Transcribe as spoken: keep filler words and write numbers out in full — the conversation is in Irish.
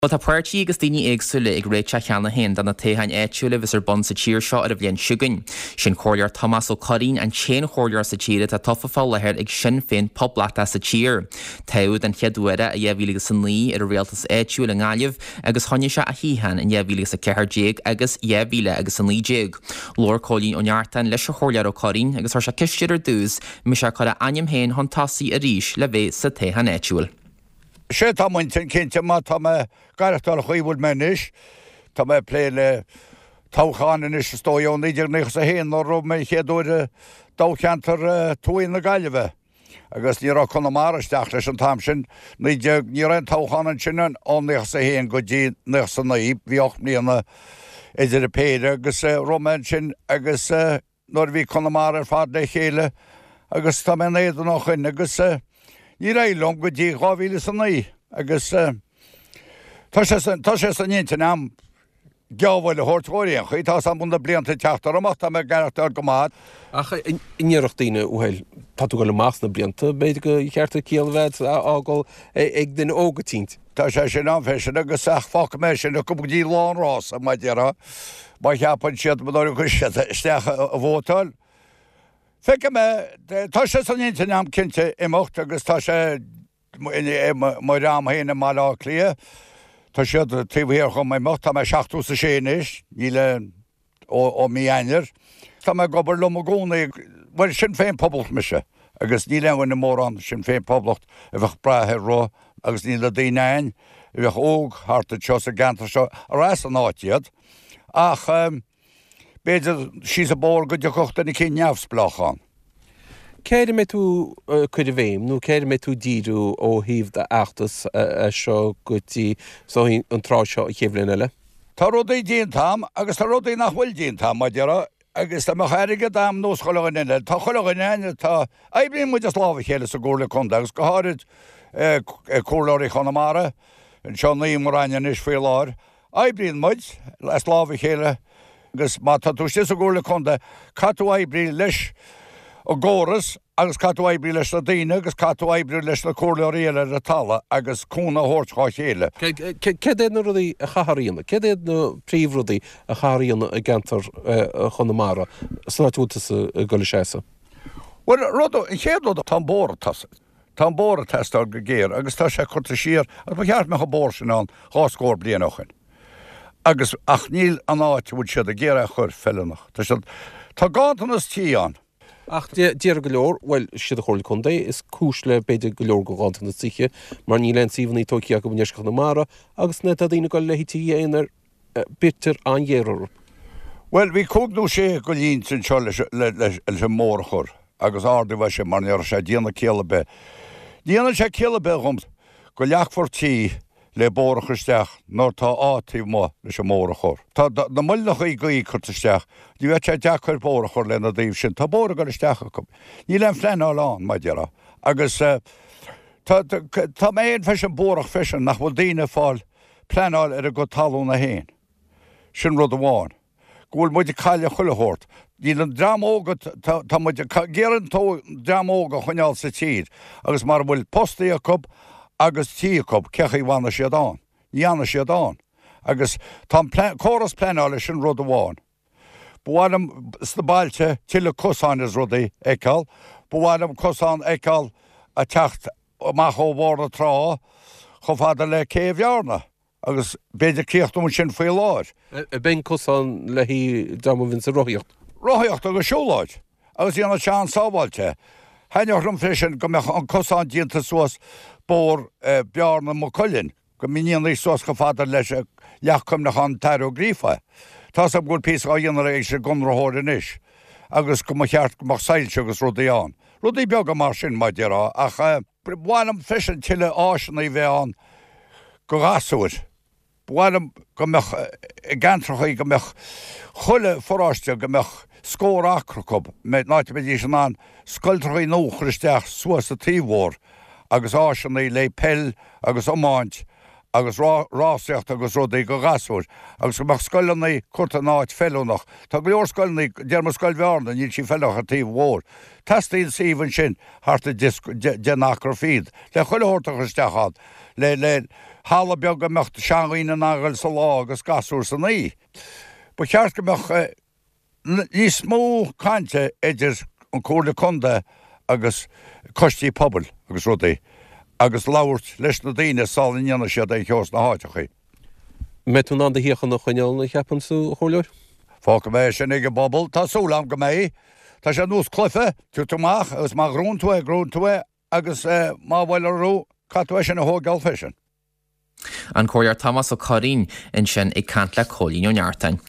Bhuel tá páirtí agus daoine éagsúla ag réiteach cheana féin do na toghcháin áitiúla a bheas ar bun sa tír seo ar an bhliain seo chugainn. Sin Comhairleoir Tomás Ó Curraoin an t-aon chomhairleoir sa tír atá tofa fá láthair ag Sinn Féin Poblachtach sa tír. Toghadh den chéad uair i dhá mhíle agus a naoi ar an rialtas áitiúil i nGaillimh agus choinnigh sé a shuíochán in dhá mhíle agus a ceathair déag agus dhá mhíle agus a naoi déag. Labhair Cóilín Ó Neachtain leis an Chomhairleoir Ó Curraoin agus chuir sé ceist air ar dtús an mbeidh sé ag cur a ainm féin chun tosaigh arís le bheith sa toghchán áitiúil. Sé tá muint cinnte má tá mé gaireachtáil chuí bhfuil mé anois, Tá mé plé le toghchán anois is dóigh ó naoi déag nócha a haon nuair a raibh mé chéad uair toghcheantar Tuaithe na Gaillimhe. Agus ní raibh Conamara isteach leis an t-am sin naoi déag ní raibh aon toghchán ansin ó nócha a haon go dtí nócha a naoi bhí ocht mbliana idir an péire agus raibh mé ansin agus nuair a bhí Conamara ar fad le chéile agus tá mé in éadan ó shin agus níor éirigh liom go dtí dhá mhíle is a naoi agus tá sé tá sé san intinn agam geábh a thabhairt dhóibh ar aon chaoi, tá a fhios agam na blianta ag teacht orm ach tá mé ag aireachtáil go maith. Ach an ndéarfadh daoine, bhuel, tá tú ag dul amach sna blianta, b'fhéidir gur cheart an ciall a bheith á fhágáil ag duine óg eicínt. Tá sé sin ann freisin agus ach fágfaidh mé sin acu go dtí lá an rása, mar a déarfá, má cheapann siad nuair a chuir siad isteach a vótáil. Feicfidh mé, tá sé san intinn agam cinnte imeacht agus tá sé mo dhream féin i mBaile Átha Cliath, tá siad taobh thiar dhom imeacht, tá mé seachtó is a sé anois, níl ó mí Eanáir. Tá mé ag obair liom i gcónaí, bhuel Sinn Féin Poblacht mise agus níl aon dhuine mórán Sinn Féin Poblacht a bheadh breá ar rith agus níl na daoine ann a bheadh óg thart anseo sa gceantar seo ar as an áit iad ach b'fhéidir síos an bóthar go dtiocfadh duine eicínt neamhspleách ann. Cé air a mbeidh tú ag cur an bhéim nó cé air a mbeidh tú ag díriú ó thaobh d'fheachtas as seo go dtí an tráth seo an chéad bhliain eile? Tá rudaí déanta agam agus tá rudaí nach bhfuil déanta agam, mar a déarfá, agus dá mbeadh airgead agam nós chuile dhuine eile, tá chuile dhuine ann atá, oibríonn muid as lámh a chéile sa gComhairle Contae agus go háirid Comhairleoirí Chonamara, anseo naoi i mo Roinn anois faoi láthair, oibríonn muid as lámh a chéile. Agus má tá tú istigh sa gComhairle Contae, caithfidh tú oibriú leis an gcóras agus caithfidh tú oibriú leis na daoine agus caithfidh tú oibriú leis na comhairleoirí eile ar an talamh agus cúnamh a thabhairt dhá chéile. Céard iad na rudaí a chaithfear a dhéanamh? Céard iad na príomhrudaí a chaithfear a dhéanamh i gceantar Chonamara san áit a bhfuil tusa ag dul a seasamh? Bhuel, rud, an chéad rud, tá an bóthar ag teastáil. Tá an bóthar ag teastáil go géar agus tá sé curtha siar agus ba cheart go mbeadh an bóthar sin ann dhá scór bliain ó shin. Agus, ach níl an áit a bhfuil siad ag iarraidh a chur feiliúnach. Tá siad, tá ganntanas tí ann. Ach déarfaidh go leor, bhuel, siad an Chomhairle Contae is cúis le b'fhéidir go leor den ghanntanas tithe, mar níl aon suíomhanna tógtha acu i ndeisceart Chonamara agus nuair atá daoine ag dul le tithe aonair, bítear an-ghéar orthu. Bhuel, bhí cúig nó sé de línte anseo leis, leis an mbóthar a chur agus ardú é sin mar ní raibh sé ag déanamh ciall ar bith. Ní dhéanann sé ciall ar bith dhom go leagfar tí le bóthar a chur isteach nuair tá áit taobh amuigh leis an mbóthar a chur. Tá na muileannachaí gaoithe curtha isteach, ní bheadh sé deacair bóthar a chur lena dtaobh sin. Tá bóthar ag dul isteach acu. Níl aon phleanáil ann, mar a déarfá. Agus tá, tá mé féin freisin buarach freisin nach bhfuil daoine ag fáil pleanáil ar a gcuid talúna féin. Sin rud amháin. Go bhfuil muid ag cailleadh chuile shórt. Níl an dream óg, tá muid ag iarraidh an dream óg a choinneáil sa tír agus mara bhfuil postaí acu agus tí acu, cé chaoi a bhfanfaidh siad ann? Ní fhanfaidh siad ann. Agus tá an córas pleanála, sin rud amháin. Ba mhaith liom sna bailte tuilleadh cosáin is rudaí a fheiceáil. Ba mhaith liom cosán a fheiceáil ag teacht amach ó Bhóthar na Trá chomh fada le Cé Bhearna. Agus b'fhéidir críochnú ansin faoi lár. Ab é an cosán le haghaidh dream a bhíonns ag rothaíocht? Rothaíocht agus siúlóid. Agus dhéanfadh sé an-sábháilte. Thaitneodh liom freisin go mbeadh an cosán déanta suas Bóthar Bearna Maigh Cuilinn, go ndéanfaí suas chomh fada leis Leacht Cuimhneacháin an tAthair Ó Gríofa. Tá's agam go bhfuil píosa á dhéanamh ag an gconraitheoir anois agus go mba cheart go mbeadh soilse agus rudaí ann. Rudaí beaga mar sin, mar a déarfá, ach ba mhaith liom freisin tuilleadh áiseanna a bheith ann do ghasúir. Ba mhaith liom go mbeadh i gceantrachaí go mbeadh chuile pharóiste go mbeadh scór acra acu, in áit a mbeidís in ann scoiltrachaí nua a chur isteach suas sa taobh mhór agus áiseanna le peil agus iomáint agus rásaíocht agus rudaí do ghasúir agus go mbeadh scoileanna curtha in áit feiliúnach. Tá go leor scoileanna, déarfaidh Scoil Bhearna, níl sí feiliúnach ar taobh mhór. Teastaíonn suíomh ansin thart ar deich n-acra fichead le chuile shórt a chur isteach ann le le Halla beag go mbeadh seandhaoine in ann a ghoil sa lá agus gasúir san oíche. Ba cheart go mbeadh níos mó cainte idir an Comhairle Contae agus coistí pobail agus rudaí agus labhairt leis na daoine sula ndéanann siad aon cheo sna háiteachaí. Mbeidh tú in ann do shuíochán a choinneáil, a cheapann tú, a Chomhairleoir? Fágfaidh mé sin ag an bpobal. Tá súil agam go mbeidh. Tá sé nós cluiche, tiocfaidh tú amach agus má ghnóthaíonn tú é, gnóthaíonn tú é agus má bhuailear thú, caithfidh tú é sin a thógáil freisin. An Comhairleoir Tomás Ó Curraoin ansin ag caint le Cóilín Ó Neachtain.